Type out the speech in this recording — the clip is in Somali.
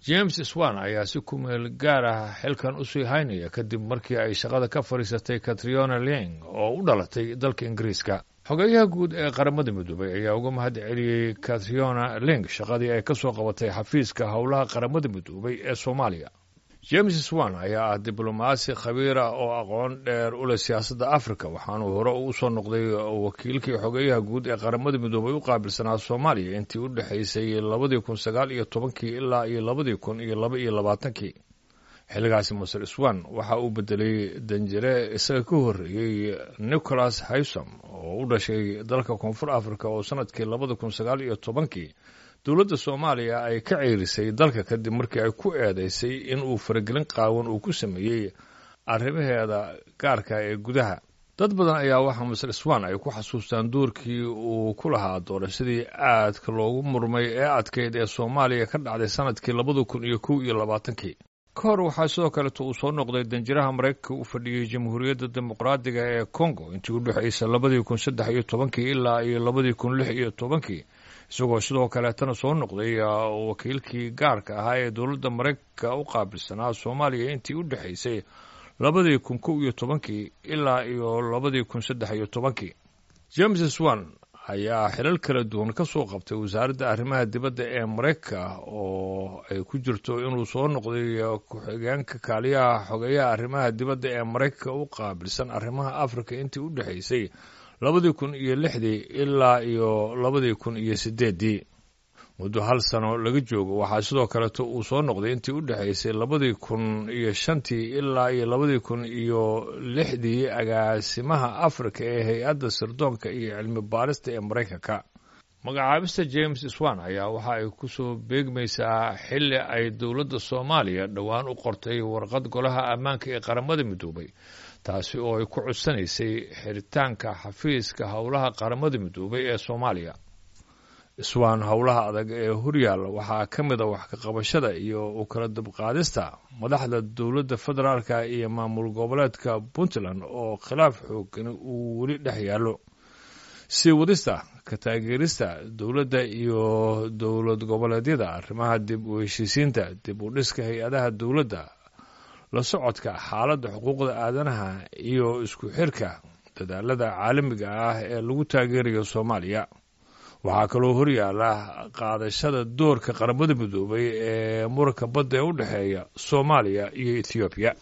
James Swan ayaa si ku meel gaar ah xilkan usii haynaya kadib markii ay shaqada ka fadhiisatay Catriona Ling oo u dhalatay dalka Ingiriiska. Xogeyaha guud ee Qaramada Midoobay ayaa uga mahad celiyey Catriona Ling shaqadii ay ka soo qabatay xafiiska howlaha Qaramada Midoobay ee Soomaaliya. James Swan ayaa ah diblomaasi khabiir ah oo aqoon dheer u leh siyaasadda Africa, waxaanuu hore u soo noqday wakiilkii xogeyaha guud ee Qaramada Midoobay u qaabilsanaa Soomaaliya intii u dhexaysay 2019-kii ilaa iyo 2022-kii. Xilligaasi Master Swan waxa uu bedelay danjire isaga ka horreeyey, Nicholas Haysom, oo u dhashay dalka Koonfur Africa, oo sanadkii 2019-kii dowladda Soomaaliya ay ka ceerisay dalka kadib markii ay ku eedeysay in uu faragelin qaawan uu ku sameeyey arrimaheeda gaarka ee gudaha. Dad badan ayaa waxaa Master Swan ay ku xasuustaan doorkii uu ku lahaa doorashadii aadka loogu murmay ee adkeyd ee Soomaaliya ka dhacday sanadkii 2021-kii. Ka hor waxaa sidoo kaleeto uu soo noqday danjiraha Maraykanka u fadhiyey Jamhuuriyadda Dimuqraadiga ee Congo intii u dhexaysay 2013-kii ilaa iyo 2016-kii, isagoo sidoo kaleetana soo noqday wakiilkii gaarka ahaa ee dowladda Maraykanka u qaabilsanaa Soomaaliya intii u dhexaysay 2011-kii ilaa iyo 2013-kii. James Swan ayaa xilal kala duwan ka soo qabtay wasaaradda arrimaha dibadda ee Maraykanka, oo ay ku jirto inuu soo noqday ku-xigeenka kaaliyaha xogeyaha arrimaha dibadda ee Maraykanka u qaabilsan arrimaha Afrika intii u dhexaysay 2006-dii ilaa iyo 2008-dii. Muddo hal sano laga joogo waxaa sidoo kaleeto uu soo noqday intii u dhexaysay 2005-tii ilaa iyo 2006-dii agaasimaha Afrika ee hay-adda sirdoonka iyo cilmi baarista ee Maraykanka. Magacaabista James Swan ayaa waxa ay ku soo beegmaysaa xilli ay dowladda Soomaaliya dhowaan u qortay warqad Golaha Ammaanka ee Qaramada Midoobay, taasi oo ay ku codsanaysay xiritaanka xafiiska howlaha Qaramada Midoobay ee Soomaaliya. Swan howlaha adag ee horyaalla waxaa ka mid a wax ka qabashada iyo u kala dubqaadista madaxda dowladda federaalka iyo maamul goboleedka Puntland oo khilaaf xoogani uu weli dhex yaallo, sii wadista ka taageerista dowladda iyo dowlad goboleedyada arrimaha dib u heshiisiinta, dib u dhiska hay-adaha dowladda, la socodka xaaladda xuquuqda aadanaha iyo isku xirka dadaalada caalamiga ah ee lagu taageerayo Soomaaliya. Waxaa kaloo horyaala qaadashada doorka Qaramada Midoobay ee muranka badda ee u dhexeeya Soomaaliya iyo Ethoobiya.